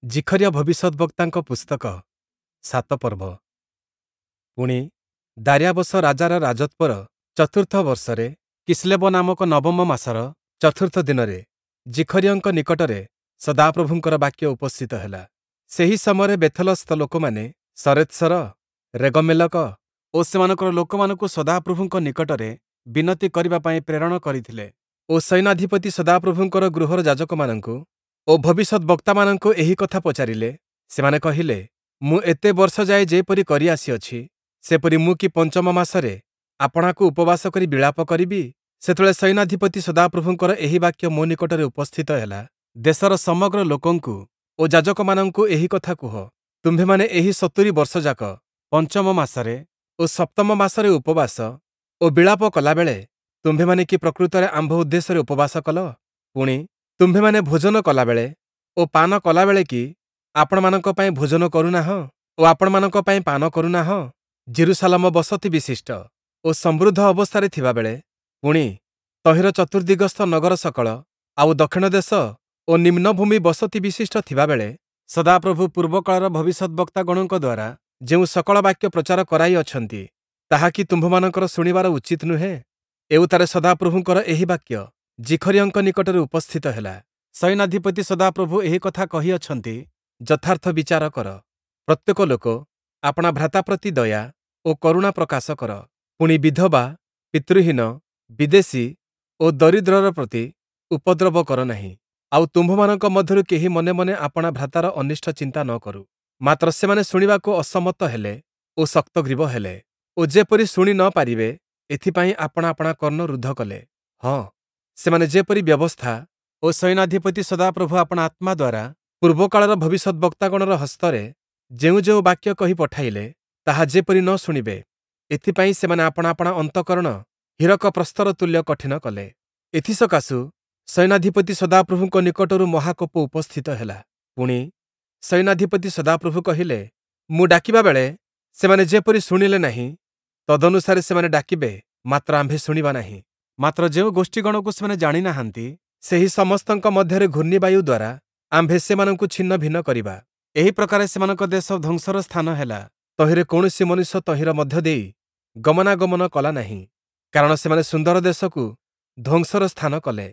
ଜିଖରିୟ ଭବିଷ୍ୟଦ୍‌ବକ୍ତାଙ୍କ ପୁସ୍ତକ ସାତ ପର୍ବ। ପୁଣି, ଦାରିୟାବସ ରାଜାର ରାଜତ୍ଵର ଚତୁର୍ଥ ବର୍ଷରେ କିସ୍ଲେବ ନାମକ ନବମ ମାସର ଚତୁର୍ଥ ଦିନରେ ଜିଖରିୟଙ୍କ ନିକଟରେ ସଦାପ୍ରଭୁଙ୍କର ବାକ୍ୟ ଉପସ୍ଥିତ ହେଲା। ସେହି ସମୟରେ ବେଥଲସ୍ଥ ଲୋକମାନେ ଶରେତ୍ସର, ରେଗମ୍ମେଲକ ଓ ସେମାନଙ୍କର ଲୋକମାନଙ୍କୁ ସଦାପ୍ରଭୁଙ୍କ ନିକଟରେ ବିନତି କରିବା ପାଇଁ ପ୍ରେରଣ କରିଥିଲେ ଓ ସୈନ୍ୟାଧିପତି ସଦାପ୍ରଭୁଙ୍କର ଗୃହର ଯାଜକମାନଙ୍କୁ ଓ ଭବିଷ୍ୟଦ୍‌ବକ୍ତାମାନଙ୍କୁ ଏହି କଥା ପଚାରିଲେ। ସେମାନେ କହିଲେ, ମୁଁ ଏତେ ବର୍ଷ ଯାଏ ଯେପରି କରି ଆସିଅଛି, ସେପରି ମୁଁ କି ପଞ୍ଚମ ମାସରେ ଆପଣାକୁ ଉପବାସ କରି ବିଳାପ କରିବି? ସେତେବେଳେ ସୈନ୍ୟାଧିପତି ସଦାପ୍ରଭୁଙ୍କର ଏହି ବାକ୍ୟ ମୋ ନିକଟରେ ଉପସ୍ଥିତ ହେଲା, ଦେଶର ସମଗ୍ର ଲୋକଙ୍କୁ ଓ ଯାଜକମାନଙ୍କୁ ଏହି କଥା କୁହ, ତୁମ୍ଭେମାନେ ଏହି 70 ବର୍ଷଯାକ ପଞ୍ଚମ ମାସରେ ଓ ସପ୍ତମ ମାସରେ ଉପବାସ ଓ ବିଳାପ କଲାବେଳେ ତୁମ୍ଭେମାନେ କି ପ୍ରକୃତରେ ଆମ୍ଭ ଉଦ୍ଦେଶ୍ୟରେ ଉପବାସ କଲ? ପୁଣି, ତୁମ୍ଭେମାନେ ଭୋଜନ କଲାବେଳେ ଓ ପାନ କଲାବେଳେ କି ଆପଣମାନଙ୍କ ପାଇଁ ଭୋଜନ କରୁନାହଁ ଓ ଆପଣମାନଙ୍କ ପାଇଁ ପାନ କରୁନାହଁ? ଯିରୂଶାଲମ ବସତି ବିଶିଷ୍ଟ ଓ ସମୃଦ୍ଧ ଅବସ୍ଥାରେ ଥିବାବେଳେ, ପୁଣି, ତହିଁର ଚତୁର୍ଦ୍ଦିଗସ୍ଥ ନଗର ସକଳ, ଆଉ ଦକ୍ଷିଣ ଦେଶ ଓ ନିମ୍ନଭୂମି ବସତି ବିଶିଷ୍ଟ ଥିବାବେଳେ, ସଦାପ୍ରଭୁ ପୂର୍ବକାଳର ଭବିଷ୍ୟଦ୍‌ବକ୍ତାଗଣଙ୍କ ଦ୍ୱାରା ଯେଉଁ ସକଳ ବାକ୍ୟ ପ୍ରଚାର କରାଇଅଛନ୍ତି, ତାହା କି ତୁମ୍ଭମାନଙ୍କର ଶୁଣିବାର ଉଚିତ୍ ନୁହେଁ? ଏଉତ୍ତାରେ ସଦାପ୍ରଭୁଙ୍କର ଏହି ବାକ୍ୟ ଜିଖରିୟଙ୍କ ନିକଟରେ ଉପସ୍ଥିତ ହେଲା। ସୈନ୍ୟାଧିପତି ସଦାପ୍ରଭୁ ଏହି କଥା କହିଅଛନ୍ତି, ଯଥାର୍ଥ ବିଚାର କର, ପ୍ରତ୍ୟେକ ଲୋକ ଆପଣା ଭ୍ରାତା ପ୍ରତି ଦୟା ଓ କରୁଣା ପ୍ରକାଶ କର, ପୁଣି ବିଧବା, ପିତୃହୀନ, ବିଦେଶୀ ଓ ଦରିଦ୍ରର ପ୍ରତି ଉପଦ୍ରବ କର ନାହିଁ। ଆଉ ତୁମ୍ଭମାନଙ୍କ ମଧ୍ୟରୁ କେହି ମନେ ମନେ ଆପଣା ଭ୍ରାତାର ଅନିଷ୍ଟ ଚିନ୍ତା ନ କରୁ। ମାତ୍ର ସେମାନେ ଶୁଣିବାକୁ ଅସମ୍ମତ ହେଲେ ଓ ଶକ୍ତଗ୍ରୀବ ହେଲେ ଓ ଯେପରି ଶୁଣି ନ ପାରିବେ, ଏଥିପାଇଁ ଆପଣା ଆପଣା କର୍ଣ୍ଣ ରୁଦ୍ଧ କଲେ। ହଁ, ସେମାନେ ଯେପରି ବ୍ୟବସ୍ଥା ଓ ସୈନ୍ୟାଧିପତି ସଦାପ୍ରଭୁ ଆପଣା ଆତ୍ମା ଦ୍ୱାରା ପୂର୍ବକାଳର ଭବିଷ୍ୟଦ୍‌ବକ୍ତାଗଣର ହସ୍ତରେ ଯେଉଁ ଯେଉଁ ବାକ୍ୟ କହି ପଠାଇଲେ, ତାହା ଯେପରି ନ ଶୁଣିବେ, ଏଥିପାଇଁ ସେମାନେ ଆପଣା ଆପଣା ଅନ୍ତଃକରଣ ହୀରକ ପ୍ରସ୍ତର ତୁଲ୍ୟ କଠିନ କଲେ। ଏଥିସକାଶୁ ସୈନ୍ୟାଧିପତି ସଦାପ୍ରଭୁଙ୍କ ନିକଟରୁ ମହାକୋପ ଉପସ୍ଥିତ ହେଲା। ପୁଣି, ସୈନ୍ୟାଧିପତି ସଦାପ୍ରଭୁ କହିଲେ, ମୁଁ ଡାକିବା ବେଳେ ସେମାନେ ଯେପରି ଶୁଣିଲେ ନାହିଁ, ତଦନୁସାରେ ସେମାନେ ଡାକିବେ, ମାତ୍ର ଆମ୍ଭେ ଶୁଣିବା ନାହିଁ। ମାତ୍ର ଯେଉଁ ଗୋଷ୍ଠୀଗଣକୁ ସେମାନେ ଜାଣି ନାହାନ୍ତି, ସେହି ସମସ୍ତଙ୍କ ମଧ୍ୟରେ ଘୂର୍ଣ୍ଣିବାୟୁ ଦ୍ୱାରା ଆମ୍ଭେ ସେମାନଙ୍କୁ ଛିନ୍ନଭିନ୍ନ କରିବା। ଏହି ପ୍ରକାରେ ସେମାନଙ୍କ ଦେଶ ଧ୍ୱଂସର ସ୍ଥାନ ହେଲା, ତହିଁରେ କୌଣସି ମନୁଷ୍ୟ ତହିଁର ମଧ୍ୟ ଦେଇ ଗମନାଗମନ କଲା ନାହିଁ, କାରଣ ସେମାନେ ସୁନ୍ଦର ଦେଶକୁ ଧ୍ୱଂସର ସ୍ଥାନ କଲେ।